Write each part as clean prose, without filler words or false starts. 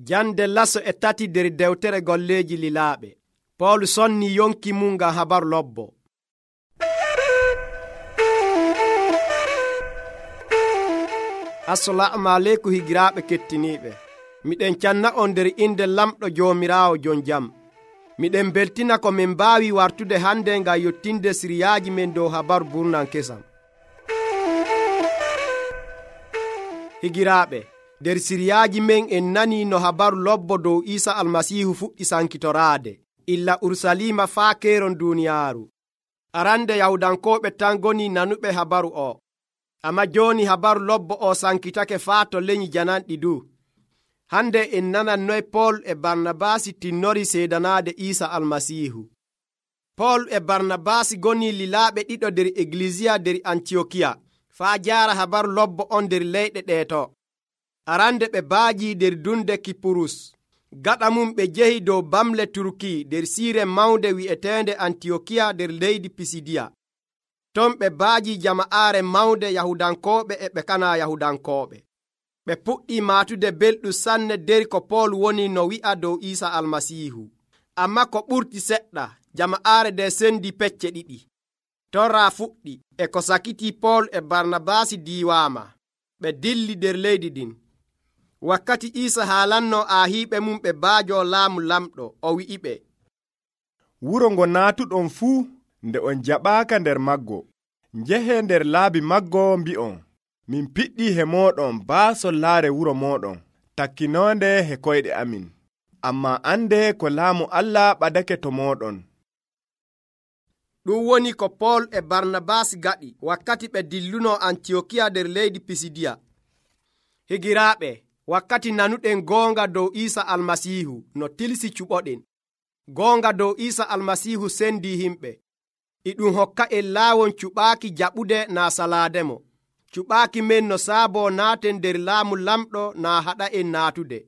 Jande laso e tati nder dewtere golleeji lilaaɓe. Pool sonni yonki mum ngam habaru lobbo. Assalamu aleykum higiraaɓe kettiniiɓe. Miɗen canna on nder inde lamɗo Joomiraawo jon jam. Miɗen beltina ko min mbaawi wartude hande ngam yottinde siriyaaji men dow habaru burnan kesam. Higiraaɓe, nder siriyaaji men en nani no habaru lobbo dow Iisa almasiihu fuɗɗi sankitoraade illa Urusalima faa keeron duuniyaaru. Arande Yahudankooɓe tan goni nanuɓe habaru o, amma jooni habaru lobbo o sankitake faa to leñi jananɗi du. Hande en nanan noy Pool e Barnabaasi tinnori seedanaade Iisa almasiihu. Pool e Barnabaasi goni lilaaɓe ɗiɗo nder Eglisiya nder Antiyokiya faa jaara habaru lobbo on nder leyɗe ɗeeto. Arande ɓe baaji nder dunde Kipurus. Gaɗa mum ɓe jehi dow bamle Turki nder siire mawnde wi'eteende Antiyokiya nder leydi Pisidiya. Ton ɓe baaji jama'aare mawnde Yahudankooɓe e ɓe kana Yahudankooɓe. Ɓe puɗɗi maatude belɗum sanne nder ko Pool woni no wi'a dow Iisa almasiihu. Amma ko ɓurti seɗɗa, jama'aare nde sendi pecce ɗiɗi. Torra fuɗɗi e ko sakiti Pool e Barnabaasi diiwaama. Ɓe dilli nder leydi ɗin. Wakkati Iisa haalanno aahiiɓe mum ɓe baajo laamu lamɗo, o wi'iɓe, wuro ngo naatuɗon fuu nde on jaɓaaka nder maggo, njehe nder laabi maggo mbi'on, min piɗɗi he mooɗon baasollaare wuro mooɗon, takkinoonde he koyɗe amin. Amma ande ko laamu Allah ɓadake to mooɗon. Ɗum woni ko Pool e Barnabaas gaɗi wakkati ɓe dilluno Antiyokiya nder leydi Pisidiya. Higiraaɓe, wakkati nanuɗen goonga dow Iisa almasiihu no tilsi cuɓoɗen. Goonga dow Iisa almasiihu sendi himɓe. E ɗum hokka en laawon cuɓaaki jaɓude naa salaademo. Cuɓaaki men no saabo naaten nder laamu lamɗo naa haɗa en naatude.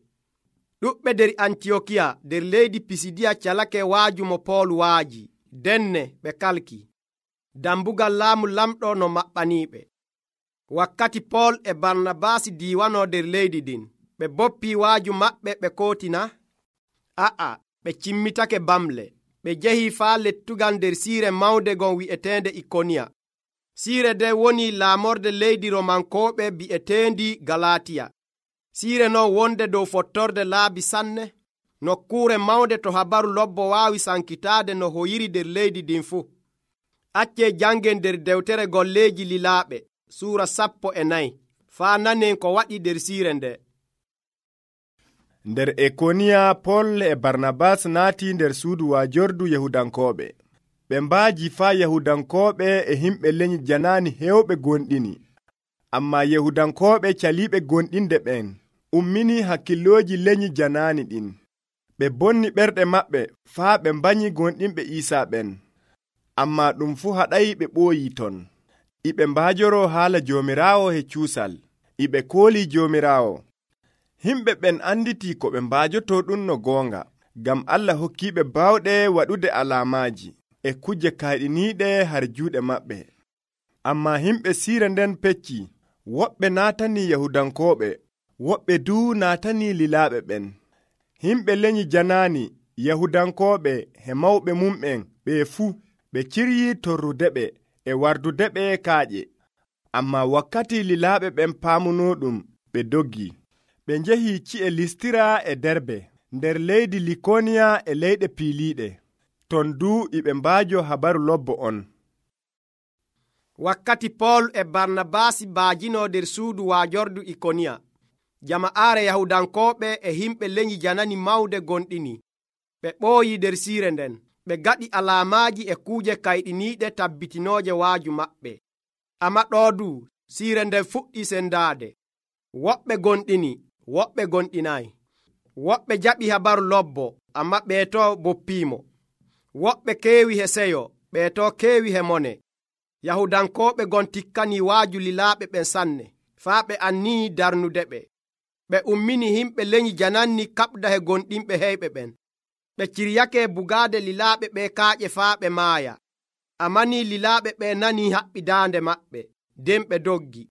Ɗuɓɓe nder Antiyokiya nder leydi Pisidiya calake waaju mo Pool waaji. Denne ɓe kalki. Dambugal laamu lamɗo no maɓɓaniiɓe. Wakkati Pool e Barnabaasi diiwano nder leydi ɗin, ɓe boppii waaju maɓɓe ɓe kootina? Ɓe cimmitake bamle. Ɓe jehii faa lettugal nder siire mawnde gon wi'eteende Ikoniya. Siire nde woni laamorde leydi Romankooɓe bi'eteendi Galatiya. Siire non wonde dow fottorde laabi sanne. Nokkuure mawnde to habaru lobbo waawi sankitaade no hoyiri nder leydi ɗin fuu. Accee jangen nder dewtere golleeji lilaaɓe suura 14 faa nanen ko waɗi nder siire nde. Nder Ikoniya Pool e Barnabaas naati nder suudu waajordu Yahudankooɓe. Ɓe mbaaji faa Yahudankooɓe e himɓe leñi janaani heewɓe gonɗini. Amma Yahudankooɓe caliiɓe gonɗinde ɓen ummini hakkillooji leñi janaani ɗin. Ɓe bonni ɓerɗe maɓɓe faa ɓe mbanyi gonɗinɓe Iisaa ɓen. Amma ɗum fuu haɗay ɓe ɓooyii ton. Iɓe mbaajoro haala Joomiraawo he cuusal. Iɓe koolii Joomiraawo. Himɓe ɓen anditi ko ɓe mbaajoto ɗum no goonga, ngam Allah hokkiiɓe baawɗe waɗude alaamaaji e kuje kayɗiniiɗe har juuɗe maɓɓe. Amma himɓe siire nden pecci, woɓɓe naatanii Yahudankooɓe, woɓɓe duu naatanii lilaaɓe ɓen. Himɓe leñi janaani Yahudankooɓe he mawɓe mumɓen ɓe fuu ɓe ciryii torrudeɓe e wardudeɓe kaaƴe. Amma wakkati lilaaɓe ɓen paamunoo ɗum, ɓe doggi. Ɓe njehii ci'e Listira e Derbe, nder leydi Likoniya e leyɗe piiliiɗe. Ton duu iɓe mbaajo habaru lobbo on. Wakkati Pool e Barnabaasi baajino nder suudu waajordu Ikoniya, jama'aare Yahudankooɓe e himɓe leñi janani mawde gonɗini. Ɓe ɓooyi nder siire nden. Ɓe gaɗi alaamaaji e kuuje kayɗiniiɗe tabbitinooje waaju maɓɓe. Amma ɗoo du siire nden fuɗɗi sendaade. Woɓɓe gonɗini, woɓɓe gonɗinayi. Woɓɓe jaɓi habaru lobbo, amma ɓeeto boppiimo. Woɓɓe keewi he seyo, ɓeeto keewi he mone. Yahudankooɓe gon tikkanii waaju lilaaɓe ɓen sanne, faa ɓe annii darnudeɓe. Ɓe ummini himɓe leñi jananni kaɓda he gonɗinɓe heyɓe ɓen. Ɓe ciryake bugaade lilaaɓe ɓe kaaƴe faa ɓe maaya. Amma ni lilaaɓe ɓe nanii haɓɓi daande maɓɓe, nden ɓe doggi.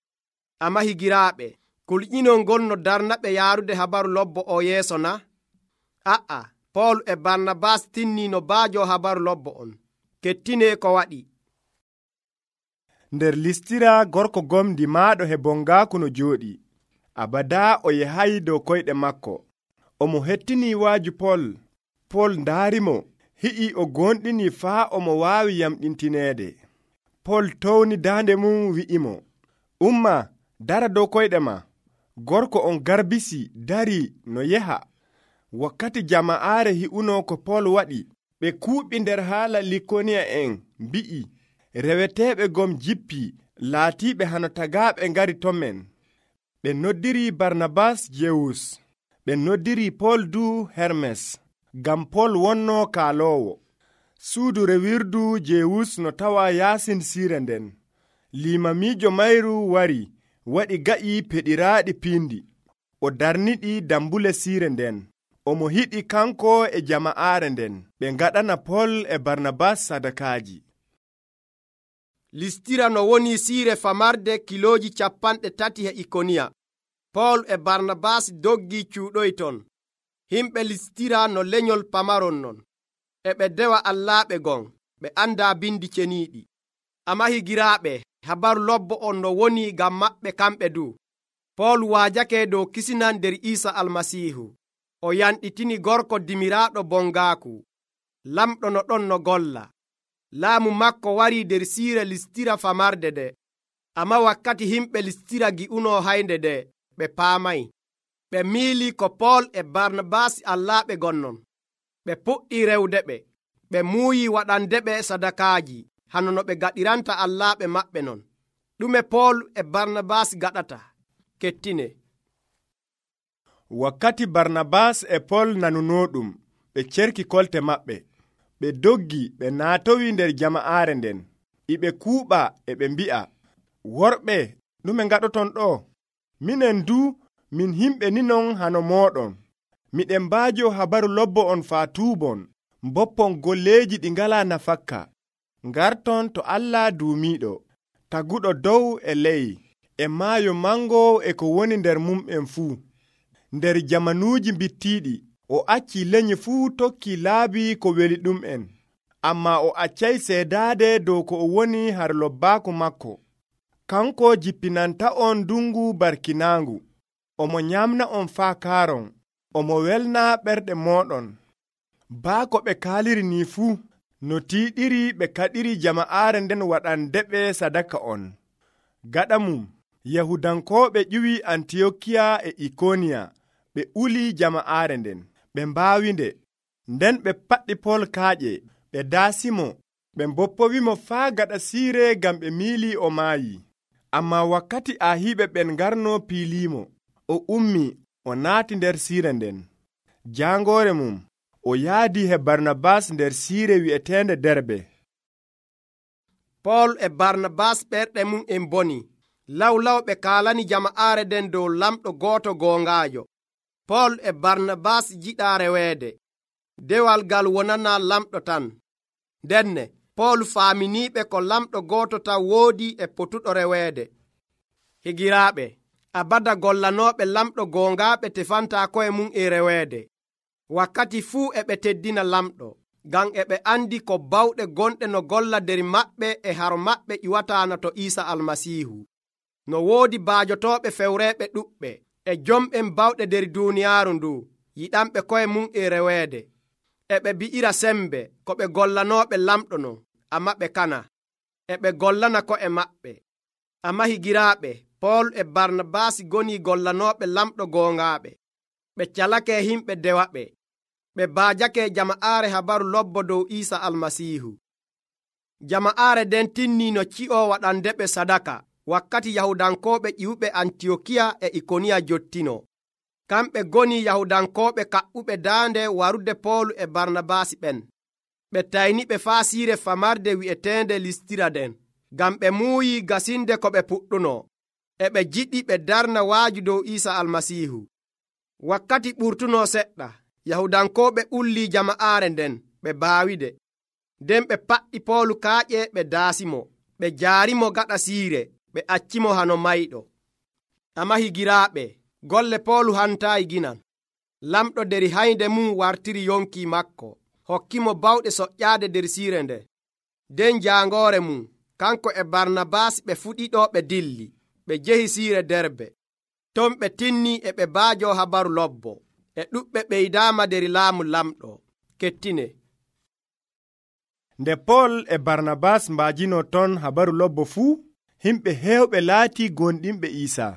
Amma higiraaɓe, kulƴinol ngol no darnaɓe yaarude habaru lobbo o yeeso na? A'a, Pool e Barnabas tinni no baajo habaru lobbo on. Kettine ko waɗi. Nder Listira gorko gomdi maaɗo hebongaaku no jooɗi. Abada o yahayi dow koyɗe makko. Omo hettini waaju Pool. Pool ndaarimo, hi'i o gonɗini faa omo waawi yamɗintineede. Pool towni daande mum wi'imo, umma, dara dow koyɗe ma. Gorko on garbisi dari no yeha. Wakkati jama'aare hi'uno ko Pool waɗi, ɓe kuuɓi nder haala Likoniya en mbi'i, reweteeɓe gom jippi laatiiɓe hano tagaaɓe ngari ton men. Ɓe noddiri Barnabas Jewus, ɓe noddiri Pool du Hermes, ngam Pool wonno kaaloowo. Suudu rewirdu Jewus no tawa yaasin siire nden. Limamiijo mayru wari, waɗi ga'i peɗiraaɗi piindi. O darniɗi dambule siire nden. Omo hiɗi kanko e jama'aare nden ɓe ngaɗana Pool e Barnabas sadakaaji. Listira no woni siire famarde kilooji 30 e Ikoniya. Pool e Barnabas doggi cuuɗoy ton. Himɓe Listira no lenyol pamaron non. E ɓe dewa allaaɓe gon, ɓe anda bindi ceniiɗi. Ammaa higiraaɓe, habaru lobbo on no woni ngam maɓɓe kamɓe du. Pool waajake dow kisinan nder Iisa Almasiihu. O yanɗitini gorko dimiraaɗo bongaaku. Lamɗo no ɗon no golla. Laamu makko wari nder siire Listira famarde de. Ammaa wakkati himɓe Listira gi'uno haynde de, ɓe paamay. Ɓe miili ko Pool e Barnabas allaaɓe gonnon. Ɓe puɗɗi rewde ɓe. Ɓe muuyi waɗande ɓe sadakaaji, hano no ɓe gaɗiranta allaaɓe maɓɓe non. Ɗume Pool e Barnabas gaɗata? Kettine. Wakkati Barnabas e Pool nanunoɗum, ɓe cerki kolte maɓɓe. Ɓe doggi ɓe naatowi nder jama'aare nden. Iɓe kuuɓa e ɓe mbi'a, worɓe, ɗume ngaɗoton ɗo? Minen du, min himɓe ninon hano mooɗon. Miɗen mbaajo habaru lobbo on faa tuubon, mboppon golleeji ɗi ngalaa nafakka. Ngarton to Allah duumiiɗo, taguɗo dow e ley, e maayo mango e ko woni nder mum'en fuu. Nder jamanuuji bittiiɗi, o acci lenyi fuu tokki laabi ko weli ɗum'en, ammaa o accay seedaade dow ko o woni har lobbaaku makko. Kanko jippinanta on ndungu barkinaangu, omo nyamna on faa kaaron, omo welna ɓerɗe mooɗon. Baa ko ɓe kaaliri ni fuu, no tiiɗiri ɓe kaɗiri jama'aare nden waɗandeɓe sadaka on. Gaɗa mum, Yahudankooɓe ƴiwi Antiyokiya e Ikoniya, ɓe uli jama'aare nden, ɓe mbaawinde. Nden ɓe paɗɗi Pool kaaƴe, ɓe daasimo, ɓe mboppowimo faa gaɗa siire ngam ɓe miili o maayi. Ammaa wakkati ahiiɓe ɓen ngarno piiliimo, o ummi, o naati nder siire nden. Jaangoore mum, o yaadi he Barnabas nder siire wi'eteende Derbe. Pool e Barnabas ɓerɗe mum en boni. Lawlaw ɓe kaalani jama'aare nden dow lamɗo gooto goongaajo. Pool e Barnabas jiɗa reweede. Dewal ngal wonana lamɗo tan. Ndenne, Pool faaminiiɓe ko lamɗo gooto tan woodi e potuɗo reweede. Higiraaɓe, abada gollanooɓe lamɗo goongaaɓe tefantaa koye mum e reweede. Wakkati fuu e ɓe teddina lamɗo, ngam e ɓe andi ko bawɗe gonɗe no golla nder maɓɓe e haro maɓɓe iwataana to Iisa Almasiihu. No woodi baajotooɓe fewreeɓe ɗuɓɓe e jomɓen bawɗe nder duuniyaaru ndu yiɗanɓe koye mum e reweede. E ɓe bi'ira sembe ko ɓe gollanooɓe lamɗo non, amma ɓe kana. E ɓe gollana ko'e maɓɓe. Ammaa higiraaɓe, Pool e Barnabas goni gollanooɓe lamɗo goongaaɓe. Ɓe calake himɓe dewaɓe. Ɓe baajake jama'aare habaru lobbo dow Iisa Almasiihu. Jama'aare den tinni no ci'o waɗandeɓe sadaka wakkati Yahudankooɓe ƴiwuɓe Antiyokiya e Ikoniya jottino. Kamɓe goni Yahudankooɓe kaɓɓuɓe daande warude Pool e Barnabas ɓen. Ɓe tayniɓe faa siire famarde wi'eteende Listira den, ngam ɓe muuyi gasinde ko ɓe puɗɗuno. E ɓe jiɗi ɓe darna waaju dow Iisa Almasiihu. Wakkati ɓurtuno seɗɗa, Yahudankooɓe ulli jama'aare nden, ɓe baawide. Nden ɓe paɗɗi Pool kaaƴe ɓe daasimo, ɓe jaarimo gaɗa siire, ɓe accimo hano mayɗo. Amma higiraaɓe, golle Poolu hantaayi ginan. Lamɗo der haynde mum wartiri yonki makko, hokkimo bawɗe soƴƴaade nder siire nde. nden jaangoore mum kanko e Barnabaas ɓe fuɗiɗo ɓe dilli, ɓe jehi siire Derbe. Ton ɓe tinni e ɓe baajo habaru lobbo, e ɗuɓɓe ɓeydaama der laamu lamɗo. Kettine. Nde Pol e Barnabaas mbaajino ton habaru lobbo fuu, himɓe heewɓe laati gonɗinɓe Iisa.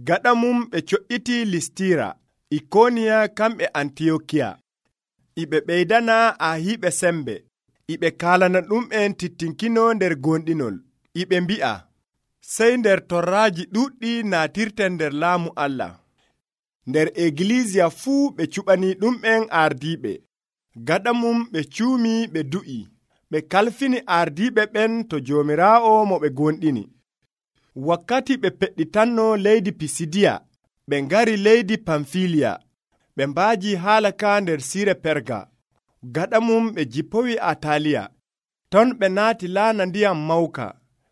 Gaɗa mum ɓe co'iti Listira, Ikoniya kamɓe Antiyokiya. Iɓe ɓeydana ahiiɓe sembe, iɓe kaalana ɗum'en tittinkino nder gonɗinol. Iɓe mbi'a, sey nder torraaji ɗuɗɗi naatirten nder laamu Allah. Nder egiliisiya fuu ɓe cuɓani ɗum'en ardiiɓe. Gaɗa mum ɓe cuumi ɓe du'i. Ɓe kalfini ardiiɓe ɓen to Joomiraawo mo ɓe gonɗini. Wakkati ɓe peɗɗitanno leydi Pisidiya, ɓe ngari leydi Pamfiliya. Ɓe mbaaji haala ka nder siire Perga. Gaɗa mum ɓe jippowi Ataliya. Ton ɓe naati laana ndiyam Mawka.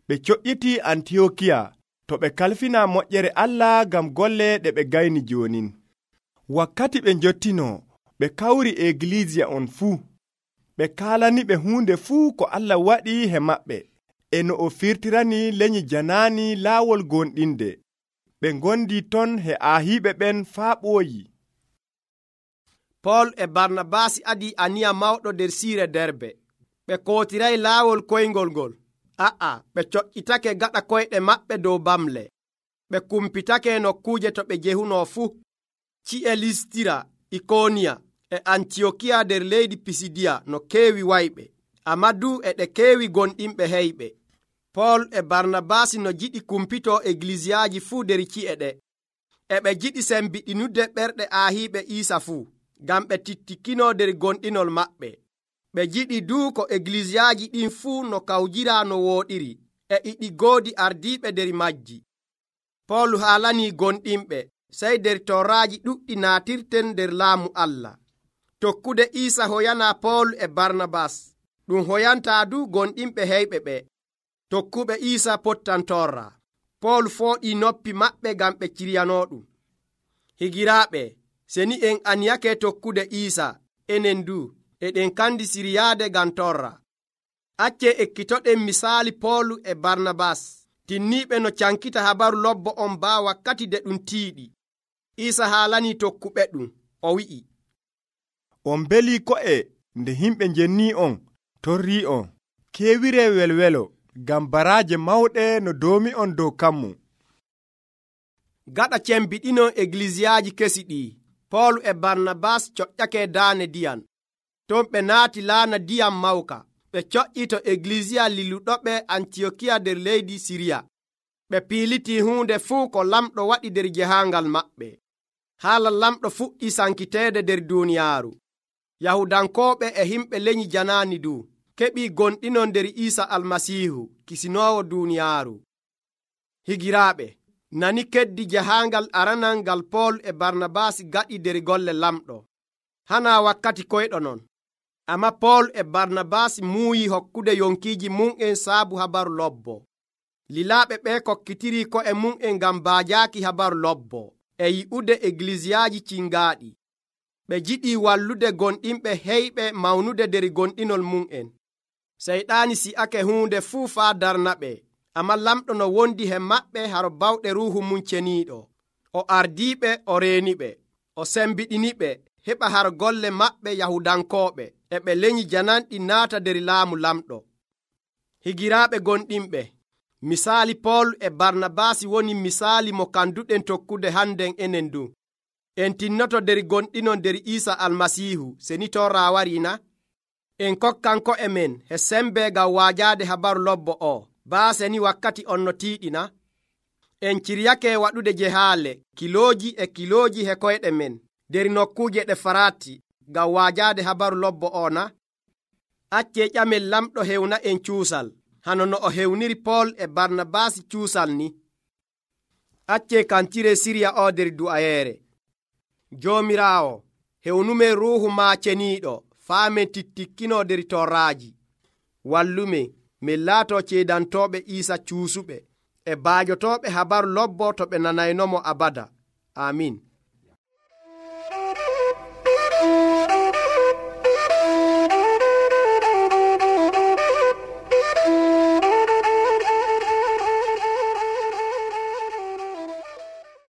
Ɓe coƴƴiti Antiyokiya to ɓe kalfina moƴƴere Allah ngam golle ɗe ɓe gayni joonin. Wakkati ɓe njottino, ɓe kawri egiliisiya on fuu. Ɓe kaalaniɓe huunde fuu ko Allah waɗi he maɓɓe, e no o firtirani lenyi janaani laawol gonɗinde. Ɓe ngondi ton he ahiiɓe ɓen faa ɓooyi. Pol e Barnabaas adi aniya mawɗo nder siire Derbe. Ɓe kootiray laawol koyngol ngol. Ɓe coƴƴitake gaɗa koyɗe maɓɓe dow bamle. Ɓe kumpitake nokkuuje to ɓe jehuno fuu. Ci'e Listira, Ikoniya e Antiyokiya nder leydi Pisidiya no keewi wayɓe, ammaa du e ɗe keewi gonɗinɓe heyɓe. Pol e Barnabaas no jiɗi kumpito eglisiyaaji fuu nder ci'e ɗe. E ɓe jiɗi sembiɗinude ɓerɗe ahiiɓe Iisa fuu, ngam ɓe tittikino nder gonɗinol maɓɓe. Ɓe jiɗi du ko eglisiyaaji ɗin fuu no kawjira no wooɗiri, e iɗi goodi ardiiɓe nder majji. Pol haalanii gonɗinɓe, sey nder torraaji ɗuɗɗi naatirten nder laamu Allah. Tokkude Iisa hoyana Pol e Barnabaas, ɗum hoyantaa du gonɗinɓe heyɓe ɓe. Tokkuɓe Iisa pottan torra. Pol fooɗii noppi maɓɓe ngam ɓe ciryanoɗum. Higiraaɓe, seni en aniyake tokkude Iisa, enen du eɗen kandi siryaade ngam torra. Acce ekkitoɗen misaali Pol e Barnabaas, tinniiɓe no cankita habaru lobbo on baa wakkati de ɗum tiiɗi. Iisa haalanii tokkuɓe ɗum, o wi'i, on belii ko'e nde himɓe njennii on, torrii on. Keewire welwelo, ngam baraaje mawɗe no doomi on dow kammu. Gaɗa cembiɗino eglisiyaaji kesi ɗii, Pol e Barnabaas coƴƴake daane diyan. Ton ɓe naati laana diyam Mawka. Ɓe coƴƴi to eglisiya lilluɗoɓe Antiyokiya nder leydi Siriya. Ɓe piilitii huunde fuu ko lamɗo waɗi nder jahaangal maɓɓe. Haala lamɗo fuɗɗi sankiteede nder duuniyaaru. Yahudankooɓe e himɓe lenyi janaani du keɓii gonɗino nder Iisa Almasiihu, kisinoowo duuniyaaru. Higiraaɓe, nani keddi jahaangal aranal ngal Pol e Barnabaas gaɗi nder golle lamɗo. Hana wakkati koyɗo non. Amma Pol e Barnabaas muuyi hokkude yonkiiji mum'en saabu habaru lobbo. Lilaaɓe ɓe kokkitiri ko'e mum'en ngam baajaaki habaru lobbo e yi'ude eglisiyaaji cingaaɗi. Ɓe jiɗi wallude gonɗinɓe heyɓe mawnude nder gonɗinol mum'en. Seyɗaani si'ake huunde fuu faa darnaɓe, amma lamɗo no wondi he maɓɓe haro bawɗe ruuhu mum ceniiɗo. O ardiiɓe, o reeniɓe, o sembiɗiniɓe heɓa har golle maɓɓe Yahudankooɓe e ɓe lenyi jananɗi naata nder laamu lamɗo. Higiraaɓe gonɗinɓe, misaali Pol e Barnabaas woni misaali mo kanduɗen tokkude hannden enen du. En tinnoto nder gonɗino nder Iisa Almasiihu seni torra warina. En kokkan ko'e men he sembe ngam waajaade habaru lobbo o, baa seni wakkati on no tiiɗina. En ciryake waɗude jehaale kilooji e kilooji he koyɗe men nder nokkuuje ɗe farati ngam waajaade habaru lobbo o na? Acce ƴamen lamɗo hewna en cuusal, hano no o hewniri Pol e Barnabaas cuusal ni. Acce kantire Siriya o nder du'ayeere. Joomiraawo, hewnumen ruuhu maa ceniiɗo, faa men tittikkino nder torraaji. Wallume, min laato ceedantooɓe Iisa cuusuɓe, e baajotoɓe habaru lobbo to ɓe nanaynomo abada. Amin.